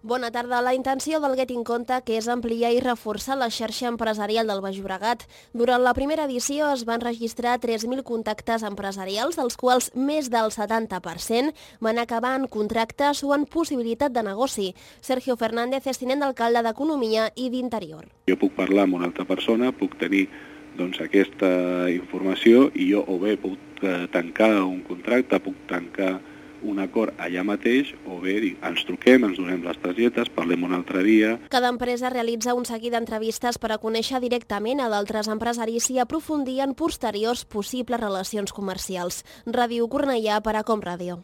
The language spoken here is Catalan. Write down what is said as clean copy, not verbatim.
Bona tarda. La intenció del Get in Conta que és ampliar i reforçar la xarxa empresarial del Baix Llobregat. Durant la primera edició es van registrar 3.000 contactes empresarials, dels quals més del 70% van acabar en contractes o en possibilitat de negoci. Sergio Fernández és tinent d'alcalde d'Economia i d'Interior. Jo puc parlar amb una altra persona, puc tenir aquesta informació i jo o bé puc tancar un contracte, puc tancar un acord allà mateix, o bé ens truquem, ens donem les targetes, parlem un altre dia. Cada empresa realitza un seguit d'entrevistes per a conèixer directament a d'altres empresaris i aprofundir en posteriors possibles relacions comercials. Ràdio Cornellà per a Com Ràdio.